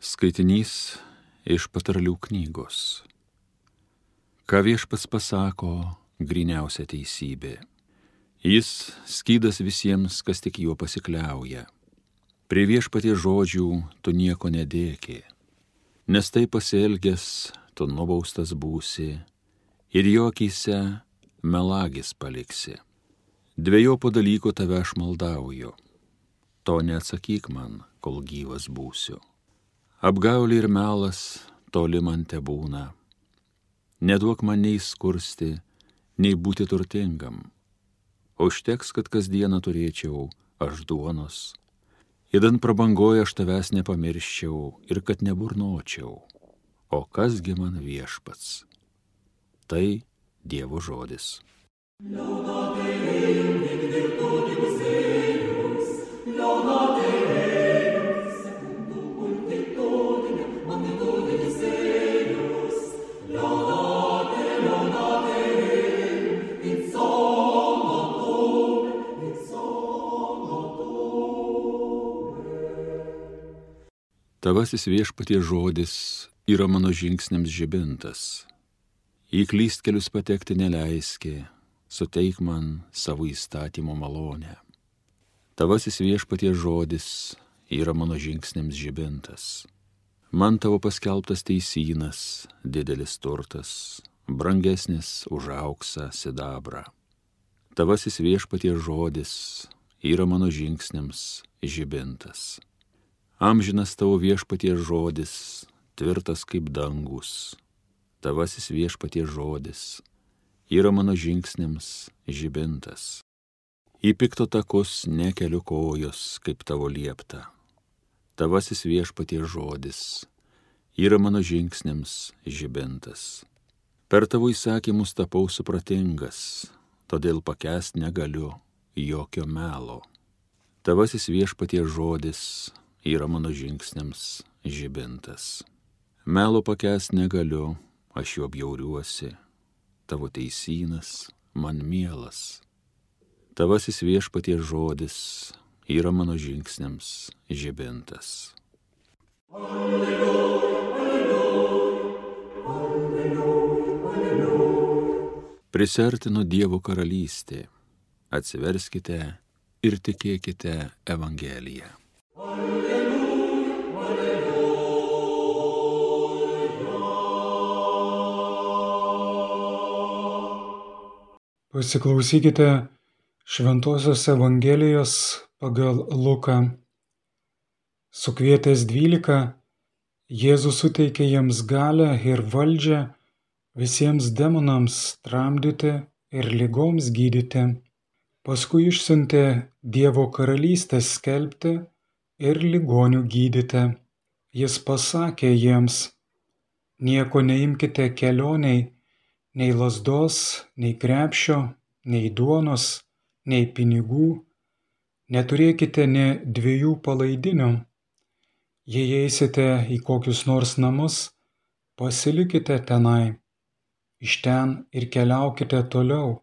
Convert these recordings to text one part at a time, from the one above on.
Skaitinys iš Patarlių knygos. Ką viešpats pasako, gryniausia teisybė. Jis skydas visiems, kas tik juo pasikliauja. Prie viešpaties žodžių tu nieko nedėki, nes tai pasielgęs tu nubaustas būsi ir jo akyse melagis paliksi. Dvejopo dalyko tave aš maldauju, to neatsakyk man, kol gyvas būsiu. Apgaulė ir melas toli man tebūna. Neduok man nei skursti, nei būti turtingam. Užteks, kad kasdieną turėčiau aš duonos. Idant prabangoje aš tavęs nepamirščiau ir kad neburnočiau. O kasgi man viešpats? Tai Dievo žodis. Tavasis viešpaties žodis yra mano žingsniams žibintas. Į klystkelius patekti neleiski, suteik man savo įstatymo malonę. Tavasis viešpaties žodis yra mano žingsniams žibintas. Man tavo paskelbtas teisynas, didelis turtas, brangesnis už auksą sidabrą. Tavasis viešpaties žodis yra mano žingsniams žibintas. Amžinas tavo viešpaties žodis, tvirtas kaip dangus. Tavasis viešpaties žodis yra mano žingsniams žibintas. Į pikto takus nekeliu kojos, kaip tavo liepta. Tavasis viešpaties žodis yra mano žingsniams žibintas. Per tavo įsakymus tapau supratingas, todėl pakęst negaliu jokio melo. Tavasis viešpaties žodis yra mano žingsniams žibintas. Melo pakęst negaliu, aš juo bjauriuosi, tavo teisynas man mielas. Tavasis viešpaties žodis yra mano žingsniams žibintas. Alleluja, alleluja, alleluja, alleluja. Prisiartino Dievo karalystė, atsiverskite ir tikėkite Evangeliją. Pasiklausykite Šventosios Evangelijos pagal Luką. Sukvietęs 12, Jėzus suteikė jiems galią ir valdžią visiems demonams tramdyti ir ligoms gydyti. Paskui išsiuntė Dievo karalystės skelbti ir ligonių gydyti. Jis pasakė jiems: nieko neimkite kelionei, nei lazdos, nei krepšio, nei duonos, nei pinigų, neturėkite nė 2 palaidinių. Jei eisite į kokius nors namus, pasilikite tenai, iš ten ir keliaukite toliau.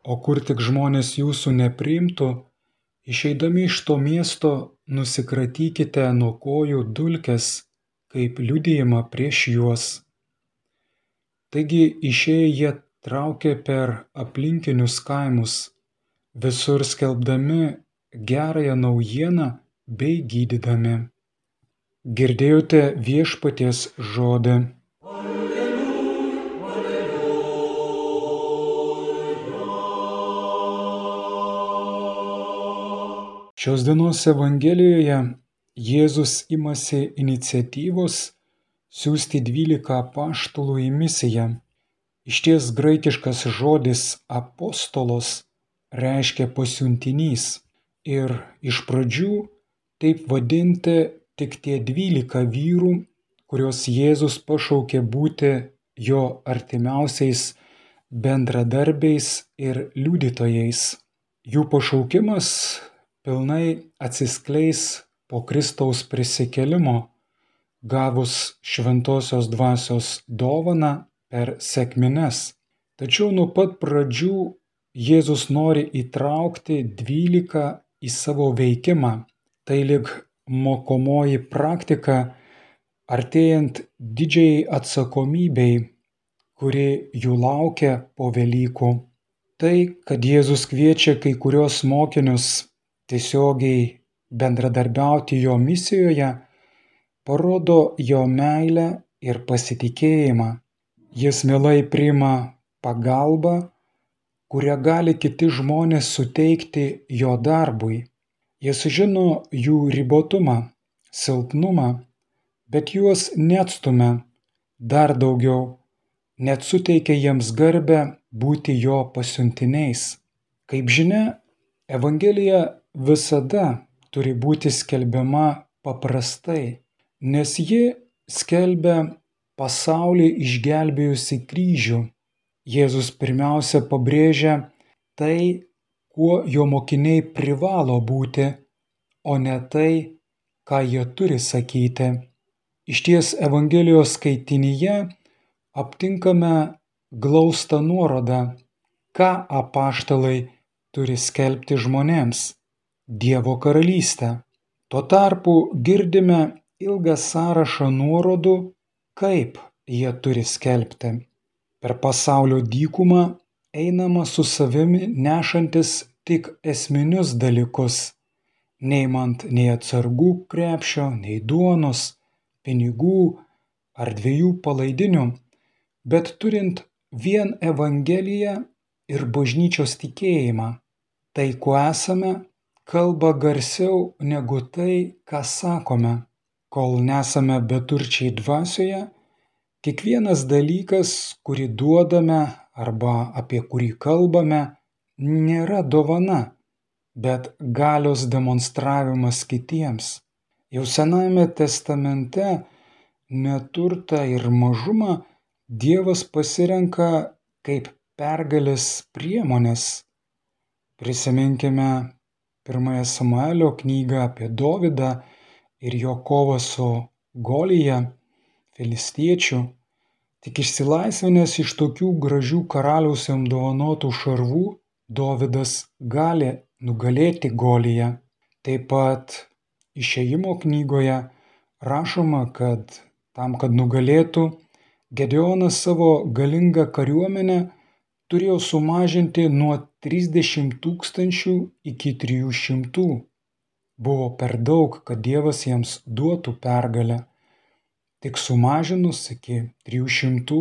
O kur tik žmonės jūsų nepriimtų, išeidami iš to miesto nusikratykite nuo kojų dulkes, kaip liudijimą prieš juos. Taigi išėję jie traukė per aplinkinius kaimus, visur skelbdami gerąją naujieną bei gydydami. Girdėjote viešpaties žodį. Alleluja, alleluja. Šios dienos Evangelijoje Jėzus imasi iniciatyvos siųsti 12 apaštalų į misiją. Išties graikiškas žodis apostolos reiškia pasiuntinys ir iš pradžių taip vadinti tik tie 12 vyrų, kuriuos Jėzus pašaukė būti jo artimiausiais bendradarbiais ir liudytojais. Jų pašaukimas pilnai atsiskleis po Kristaus prisikėlimo, gavus šventosios dvasios dovaną per sekmines. Tačiau nuo pat pradžių Jėzus nori įtraukti 12 į savo veikimą. Tai lyg mokomoji praktika artėjant didžiai atsakomybei, kuri jų laukia po Velykų. Tai, kad Jėzus kviečia kai kurios mokinius tiesiogiai bendradarbiauti jo misijoje, parodo jo meilę ir pasitikėjimą. Jis mielai priima pagalbą, kurią gali kiti žmonės suteikti jo darbui. Jis žino jų ribotumą, silpnumą, bet juos neatstumia, dar daugiau, net suteikia jiems garbę būti jo pasiuntiniais. Kaip žinia, Evangelija visada turi būti skelbiama paprastai, nes ji skelbia pasaulį išgelbėjusi kryžių. Jėzus pirmiausia pabrėžia tai, kuo jo mokiniai privalo būti, o ne tai, ką jie turi sakyti. Išties Evangelijos skaitinyje aptinkame glaustą nuorodą, ką apaštalai turi skelbti žmonėms – Dievo karalystę. Tuo tarpu girdime ilgą sąrašą nuorodų, kaip jie turi skelbti. Per pasaulio dykumą einama su savimi nešantis tik esminius dalykus, neimant nei atsargų krepšio, nei duonos, pinigų ar 2 palaidinių, bet turint vien Evangeliją ir bažnyčios tikėjimą. Tai, kuo esame, kalba garsiau negu tai, ką sakome. Kol nesame beturčiai dvasioje, kiekvienas dalykas, kurį duodame arba apie kurį kalbame, nėra dovana, bet galios demonstravimas kitiems. Jau Senajame testamente neturtą ir mažumą Dievas pasirenka kaip pergalės priemonės. Prisiminkime 1 Samuelio knygą apie Dovydą ir jo kovą su Golija, filistiečiu. Tik išsilaisvinęs iš tokių gražių karaliaus jam dovanotų šarvų, Dovydas gali nugalėti Goliją. Taip pat Išėjimo knygoje rašoma, kad tam, kad nugalėtų, Gedeonas savo galingą kariuomenę turėjo sumažinti nuo 30 000 iki 300. Buvo per daug, kad Dievas jiems duotų pergalę. Tik sumažinus iki 300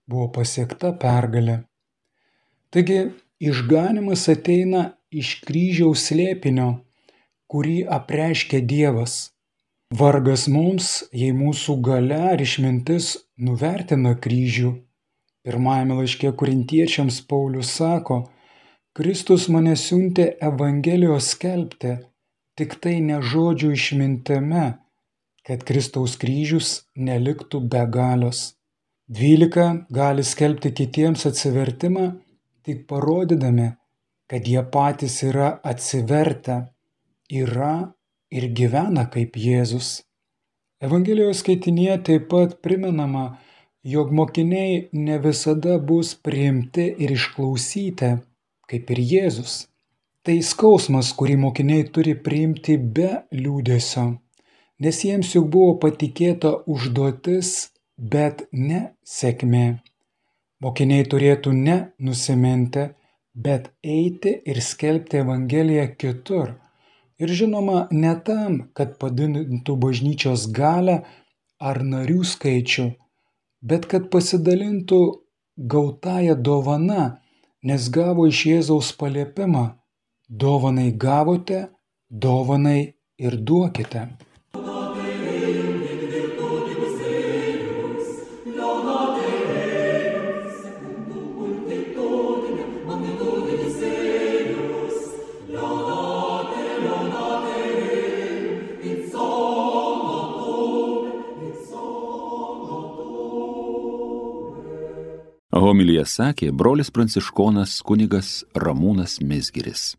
buvo pasiekta pergalė. Taigi išganymas ateina iš kryžiaus slėpinio, kurį apreiškia Dievas. Vargas mums, jei mūsų galia ar išmintis nuvertina kryžių. Pirmajame laiške Korintiečiams Paulius sako, Kristus mane siuntė Evangelijos skelbti, tik tai ne žodžių išmintimi, kad Kristaus kryžius neliktų be galios. 12 gali skelbti kitiems atsivertimą, tik parodydami, kad jie patys yra atsivertę, yra ir gyvena kaip Jėzus. Evangelijos skaitinyje taip pat primenama, jog mokiniai ne visada bus priimti ir išklausyti, kaip ir Jėzus. Tai skausmas, kurį mokiniai turi priimti be liūdesio, nes jiems juk buvo patikėta užduotis, bet ne sėkmė. Mokiniai turėtų ne nusiminti, bet eiti ir skelbti Evangeliją kitur. Ir žinoma, ne tam, kad padidintų bažnyčios galią ar narių skaičių, bet kad pasidalintų gautąją dovana, nes gavo iš Jėzaus paliepimą: dovanai gavote, dovanai ir duokite. Homiliją sakė brolis pranciškonas kunigas Ramūnas Mizgiris.